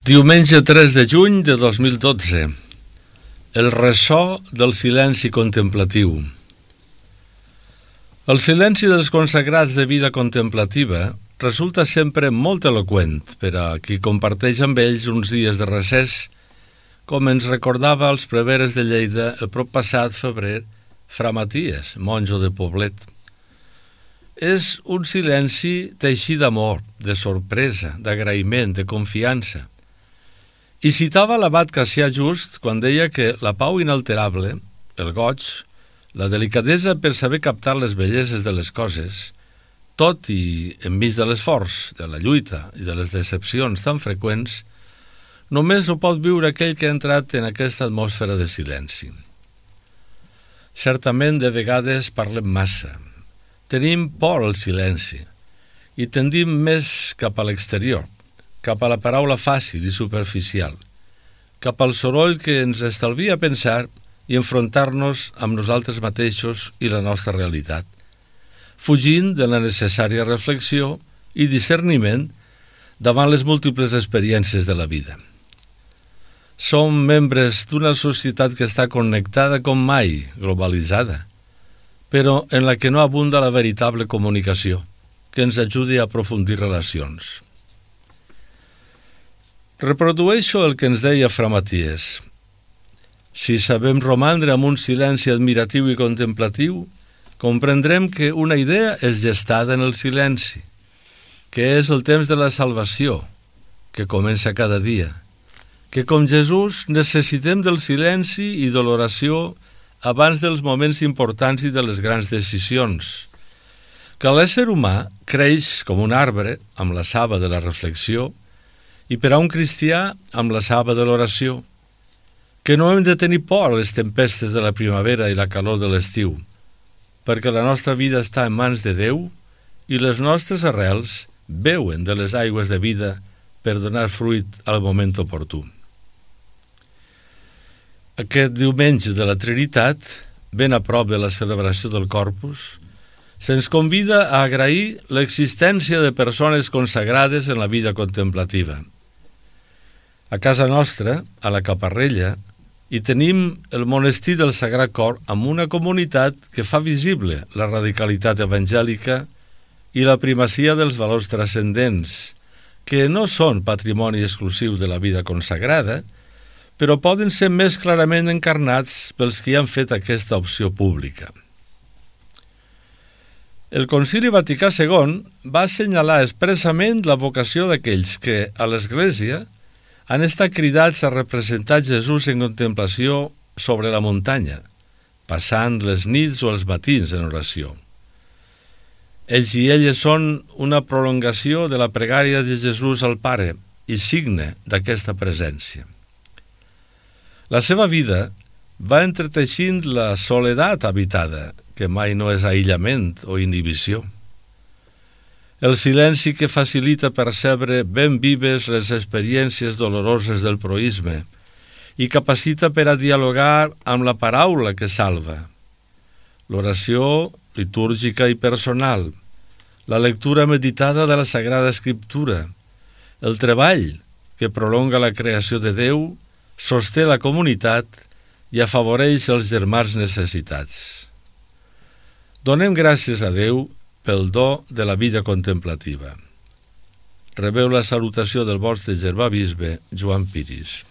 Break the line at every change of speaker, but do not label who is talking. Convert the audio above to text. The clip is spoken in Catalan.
Diumenge 3 de juny de 2012. El ressò del silenci contemplatiu. El silenci dels consagrats de vida contemplativa resulta sempre molt eloqüent per a qui comparteix amb ells uns dies de recés, com ens recordava als preveres de Lleida el prop passat febrer Fra Maties, monjo de Poblet. És un silenci teixit d'amor, de sorpresa, d'agraïment, de confiança. I citava l'abat Cassià Just quan deia que la pau inalterable, el goig, la delicadesa per saber captar les belleses de les coses, tot i enmig de l'esforç, de la lluita i de les decepcions tan freqüents, només ho pot viure aquell que ha entrat en aquesta atmosfera de silenci. Certament, de vegades parlem massa. Tenim por al silenci i tendim més cap a l'exterior, cap a la paraula fàcil i superficial, cap al soroll que ens estalvia pensar i enfrontar-nos amb nosaltres mateixos i la nostra realitat, fugint de la necessària reflexió i discerniment davant les múltiples experiències de la vida. Som membres d'una societat que està connectada com mai, globalitzada, però en la que no abunda la veritable comunicació, que ens ajudi a aprofundir relacions. Reprodueixo el que ens deia Fra Maties. Si sabem romandre amb un silenci admiratiu i contemplatiu, comprendrem que una idea és gestada en el silenci, que és el temps de la salvació, que comença cada dia, que com Jesús necessitem del silenci i de l'oració abans dels moments importants i de les grans decisions, que l'ésser humà creix com un arbre amb la saba de la reflexió i per a un cristià amb la saba de l'oració, que no hem de tenir por a les tempestes de la primavera i la calor de l'estiu, perquè la nostra vida està en mans de Déu i les nostres arrels beuen de les aigües de vida per donar fruit al moment oportú. Aquest diumenge de la Trinitat, ben a prop de la celebració del Corpus, se'ns convida a agrair l'existència de persones consagrades en la vida contemplativa. A casa nostra, a la Caparrella, hi tenim el monestir del Sagrat Cor amb una comunitat que fa visible la radicalitat evangèlica i la primacia dels valors transcendents, que no són patrimoni exclusiu de la vida consagrada, però poden ser més clarament encarnats pels qui han fet aquesta opció pública. El Concili Vaticà II va assenyalar expressament la vocació d'aquells que, a l'Església, han estat cridats a representar Jesús en contemplació sobre la muntanya, passant les nits o els matins en oració. Ells i elles són una prolongació de la pregària de Jesús al Pare i signe d'aquesta presència. La seva vida va entreteixint la soledat habitada, que mai no és aïllament o inhibició. El silenci que facilita percebre ben vives les experiències doloroses del proïsme i capacita per a dialogar amb la paraula que salva. L'oració litúrgica i personal, la lectura meditada de la Sagrada Escriptura, el treball que prolonga la creació de Déu, sosté la comunitat i afavoreix els germans necessitats. Donem gràcies a Déu pel do de la vida contemplativa. Rebeu la salutació del vostre germà bisbe Joan Piris.